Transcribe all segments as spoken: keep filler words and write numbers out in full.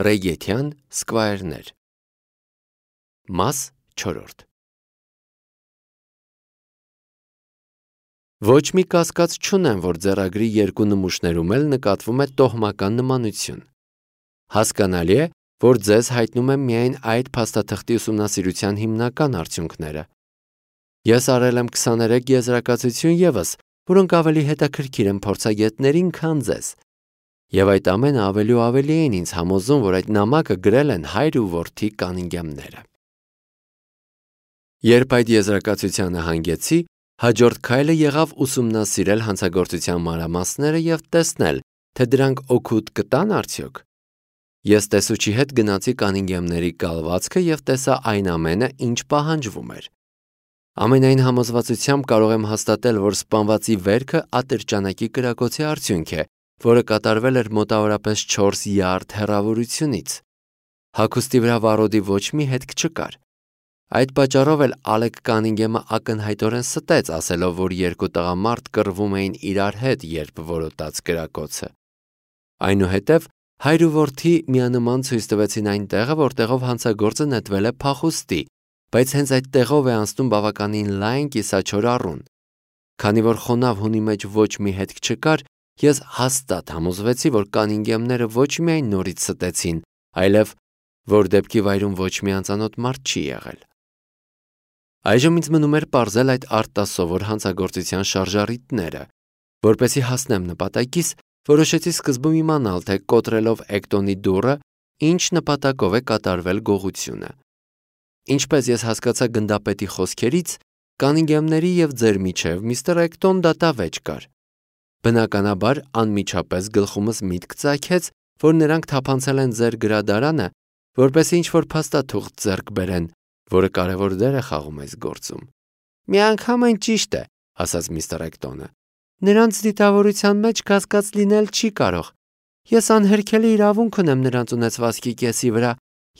Ռեյգեթյան սկվայրներ։ Մաս չորրորդ։ Ոչ մի կասկած չունեմ, որ ձեռագրի երկու նմուշներում էլ նկատվում է տոհմական նմանություն։ Հասկանալի է, որ ձեզ հայտնում եմ միայն այդ փաստաթղթի ուսումնասիրության հիմնական արդյունքները։ Ես արել եմ քսաներեք եզրակացություն ևս, որոնք ավելի հետաքրքիր են փորձագետներին, քան ձեզ։ Եվ այդ ամենը ավելի ու ավելի էին ինձ համոզում, որ այդ նամակը գրել են հայր ու որդի Կանինգեմները։ Երբ այդ եզրակացությանը հանգեցի, հաջորդ քայլը եղավ ուսումնասիրել հանցագործության մանրամասները և տեսնել, թե դրանք օգուտ կտան արդյոք։ Ես տեսուչի հետ գնացի Կանինգեմների կալվածքը և տեսա այն ամենը, ինչ պահանջվում էր։ Ամենայն համոզվածությամբ կարող եմ հաստատել, որ սպանվածի վերքը ատրճանակի կրակոցի արդյունք է, որը կատարվել էր մոտավորապես չորս յարդ հեռավորությունից։ Հագուստի վրա վառոդի ոչ մի հետք չկար։ Այդ պատճառով էլ Ալեք Կանինգեմը ակնհայտորեն ստեց, ասելով, որ երկու տղամարդ կռվում էին իրար հետ, երբ որոտաց կրակոցը։ Այնուհետև հայր ու որդի միանման ցույց տվեցին այն տեղը, որտեղով հանցագործը նետվել է փախուստի, բայց հենց այդ տեղով է անցնում բավականին լայն կիսաչոր առուն։ Քանի որ խոնավ հունի մեջ ոչ մի հետք չկար, ես հաստատ համոզվեցի, որ Կանինգեմները ոչ միայն նորից ստեցին, այլև որ դեպքի վայրում ոչ մի անծանոթ մարդ չի եղել։ Այժմ ինձ մնում էր պարզել այդ արտասովոր հանցագործության շարժառիթները։ Որպեսզի հասնեմ նպատակիս, որոշեցի սկզբում իմանալ, թե կոտրելով Էկտոնի դուռը, ինչ նպատակով է կատարվել գողությունը։ Ինչպես ես հասկացա գնդապետի խոսքերից, Կանինգեմների և ձեր միջև միստր Էկտոն դատավեճ կար։ Բնականաբար անմիջապես գլխումս միտք ծագեց, որ նրանք թափանցել են ձեր գրադարանը, որպեսզի ինչ-որ փաստաթուղթ ձեռք բերեն, որը կարևոր դեր է խաղում այս գործում։ Միանգամայն ճիշտ է, ասաց միստր Էկտոնը։ Նրանց դիտավորության մեջ կասկած լինել չի կարող։ Ես անհերքելի իրավունք ունեմ նրանց ունեցվածքի կեսի վրա,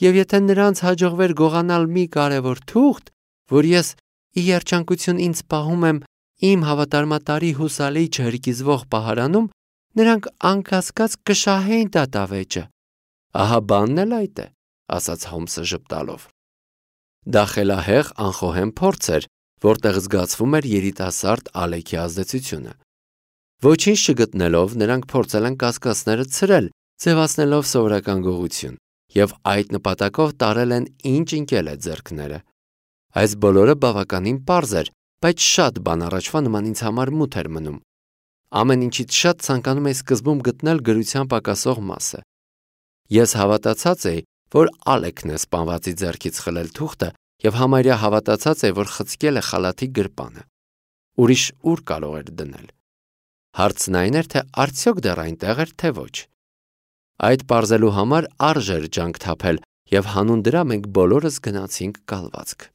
և եթե նրանց հաջողվեր գողանալ մի կարևոր թուղթ, որ ես ի երջանկություն ինձ պահում եմ իմ հավատարմատարի հուսալի չհրկիզվող պահարանում, նրանք անկասկած կշահեին դատավեճը։ Ահա բանն էլ այդ է, ասաց Հոլմսը ժպտալով։ Դա խելահեղ անխոհեմ փորձ էր, որտեղ զգացվում էր երիտասարդ Ալեքի ազդեցությունը։ Ոչինչ չգտնելով, նրանք փորձել են կասկածները ցրել, ձևացնելով սովորական գողություն, և այդ նպատակով տարել են ինչ ընկել է ձեռքները։ Այս բոլորը բավականին պարզ էր, բայց շատ բան առաջվա նման ինձ համար մութ էր մնում։ Ամեն ինչից շատ ցանկանում էի սկզբում գտնել գրության պակասող մասը։ Ես հավատացած էի, որ Ալեքն է սպանվածի ձեռքից խլել թուղթը և համարյա հավատացած էի, որ խցկել է խալաթի գրպանը։ Ուրիշ ուր կարող էր դնել։ Հարցն այն էր, թե արդյոք դեռ այնտեղ էր, թե ոչ։ Այդ պարզելու համար արժեր ջանք թափել, և հանուն դրա մենք բոլորս գնացինք կալվածք։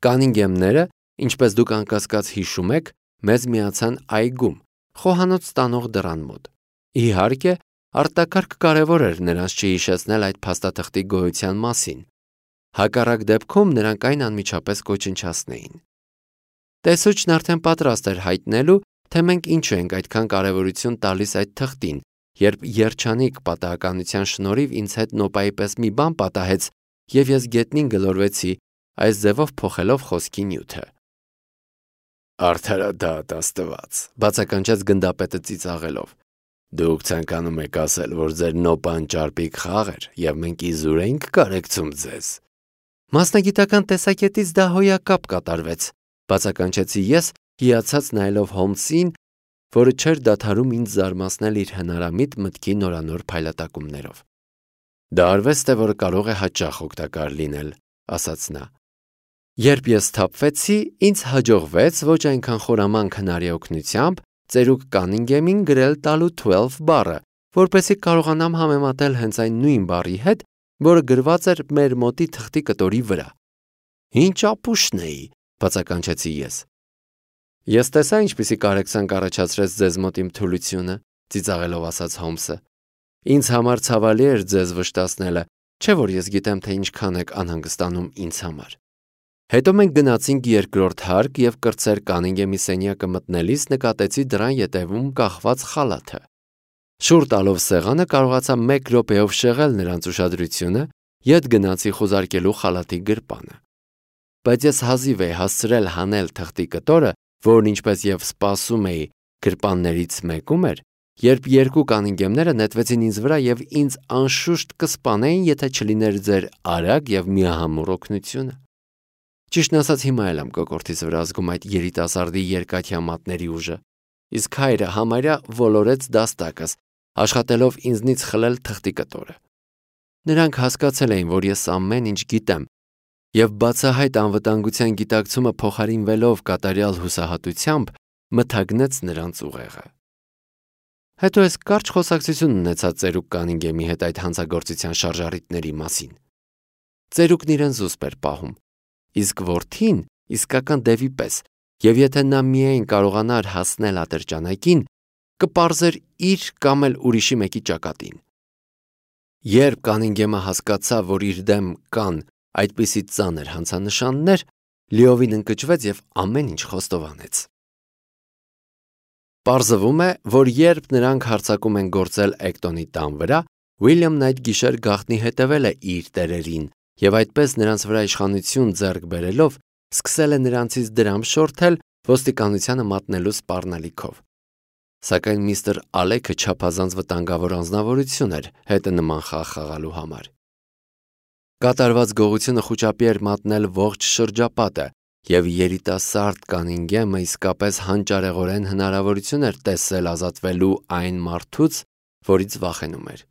Կանինգեմները, ինչպես դուք անկասկած հիշում եք, մեզ միացան այգում, խոհանոց տանող դռան մոտ։ Իհարկե, արտակարգ կարևոր էր նրանց չհիշեցնել այդ փաստաթղթի գոյության մասին։ Հակառակ դեպքում նրանք այն անմիջապես կոչնչացնեին։ Տեսուչն արդեն պատրաստ էր հայտնելու, թե մենք ինչու ենք այդքան կարևորություն տալիս այդ թղթին, երբ երջանիկ պատահականության շնորհիվ ինձ հետ նոպայի պես մի բան պատահեց, և ես գետնին գլորվեցի, այս ձևով փոխելով խոսքի նյութը։ Արդարադատ Աստված, բացականչեց գնդապետը ծիծաղելով։ Դուք ցանկանում եք ասել, որ ձեր նոպան ճարպիկ խաղ էր, և մենք իզուր էինք կարեկցում ձեզ։ Մասնագիտական տեսակետից դա հոյակապ կատարվեց, բացականչեցի ես, հիացած նայելով Հոլմսին, որը չէր դադարում ինձ զարմացնել իր հնարամիտ մտքի նորանոր փայլատակումներով։ Դա արվեստ է, որը կարող է հաճախ օգտակար լինել, ասաց նա։ Երբ ես սթափվեցի, ինձ հաջողվեց ոչ այնքան խորամանկ հնարի օգնությամբ ծերուկ Կանինգեմին գրել տալու twelve բառը, որպեսզի կարողանամ համեմատել հենց այն նույն բառի հետ, որը գրված էր մեր մոտի թղթի կտորի վրա։ Ինչ ապուշն էի, բացականչեցի ես։ Ես տեսա ինչպիսի կարեկցանք առաջացրեց ձեզ մոտ իմ թուլությունը, ծիծաղելով ասաց Հոլմսը։ Ինձ համար ցավալի էր ձեզ վշտացնելը, չէ՞ որ ես գիտեմ, թե ինչքան եք անհանգստանում ինձ համար։ Հետո մենք գնացինք երկրորդ հարկ և կրտսեր Կանինգեմի սենյակը մտնելիս նկատեցի դռան ետևում կախված խալաթը։ Շուռ տալով սեղանը կարողացա մեկ րոպեով շեղել նրանց ուշադրությունը, ետ գնացի խուզարկելու խալաթի գրպանը։ Բայց ես հազիվ էի հասցրել հանել թղթի կտորը, որն ինչպես եւ սպասում էի, գրպաններից մեկում էր, երբ երկու կանինգեմները նետվեցին ինձ վրա եւ ինձ անշուշտ կսպանեին, եթե չլիներ ձեր արագ եւ միահամուռ օգնությունը։ Ճիշտն ասած, հիմա էլ եմ կոկորդիս վրա զգում այդ երիտասարդի երկաթյա մատների ուժը, իսկ հայրը համարյա ոլորեց դաստակս, աշխատելով ինձնից խլել թղթի կտորը։ Նրանք հասկացել էին, որ ես ամեն ինչ գիտեմ, եւ բացահայտ անվտանգության գիտակցումը փոխարինվելով կատարյալ հուսահատությամբ մթագնեց նրանց ուղեղը։ Հետո ես կարճ խոսակցություն ունեցա ծերուկ կանինգեմի հետ այդ հանցագործության շարժառիթների մասին։ Ծերուկն իրեն զուսպ էր պահում, իսկ որդին իսկական դևի պես, եւ եթե նա միայն կարողանար հասնել ատրճանակին, կպարզեր իր կամ էլ ուրիշի մեկի ճակատին։ Երբ կանինգեմը հասկացավ, որ իր դեմ կան այդպիսի ծանր հանցանշաններ, լիովին ընկճվեց եւ ամեն ինչ խոստովանեց։ Պարզվում է, որ երբ նրանք հարձակում են գործել Էկտոնի տան վրա, Ուիլյամն այդ գիշեր գաղտնի հետևել է իր տերերին եւ այդպես նրանց վրա իշխանություն ձեռք բերելով սկսել է նրանցից դրամ շորթել ոստիկանությանը մատնելու սպառնալիքով։ Սակայն միստր Ալեքը չափազանց վտանգավոր անձնավորություն էր հետը նման խաղ խաղալու համար։ Կատարված գողությունը խուճապի էր մատնել ողջ շրջապատը, եւ երիտասարդ կանինգեմը իսկապես հանճարեղորեն հնարավորություն էր տեսել ազատվելու այն մարդուց, որից վախենում էր։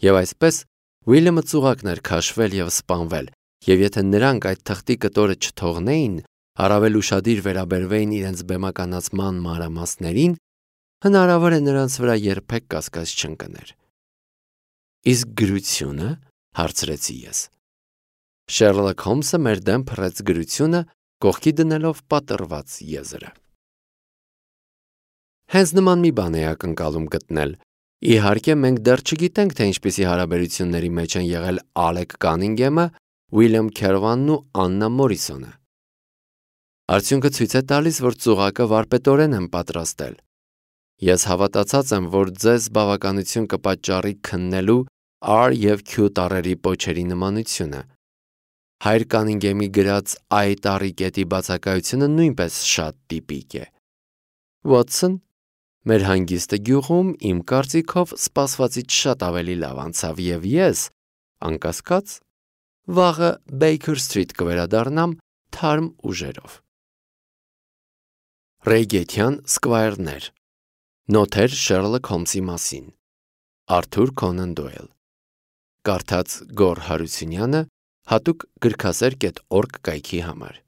Եվ այսպես Ուիլյամը ծուղակն էր քաշվել եւ սպանվել, եւ եթե նրանք այդ թղթի կտորը չթողնեին, առավել ուշադիր վերաբերվեին իրենց բեմականացման մանրամասներին, հնարավոր է նրանց վրա երբեք կասկած չընկներ։ Իսկ գրությունը, հարցրեցի ես։ Շերլոք Հոլմսը մեր դեմ փռեց գրությունը, կողքի դնելով պատռված եզրը։ Հենց նման մի բան է ակնկալում գտնել։ Իհարկե, մենք դեռ չգիտենք, թե ինչպիսի հարաբերությունների մեջ են եղել Ալեք Կանինգեմը, Ուիլյամ Քերվանն ու Աննա Մորիսոնը։ Արդյունքը ցույց է տալիս, որ ծուղակը վարպետորեն են պատրաստել։ Ես հավատացած եմ, որ ձեզ բավականություն կպատճառի քննելու R եւ Q տառերի պոչերի նմանությունը։ Հայր Կանինգեմի գրած I տառի կետի բացակայությունը նույնպես շատ տիպիկ է։ Վոտսոն, մեր հանգիստը գյուղում իմ կարծիքով սպասվածից շատ ավելի լավ անցավ եւ ես, անկասկած, վաղը Baker Street կվերադառնամ թարմ ուժերով։ Ռեյգեթյան սկվայրներ։ Նոթեր Շերլոք Հոլմսի մասին։ Արթուր Քոնան Դոյլ։ Կարդաց Գոր Հարությունյանը, հատուկ գրքասեր կետ օրգ կայքի համար։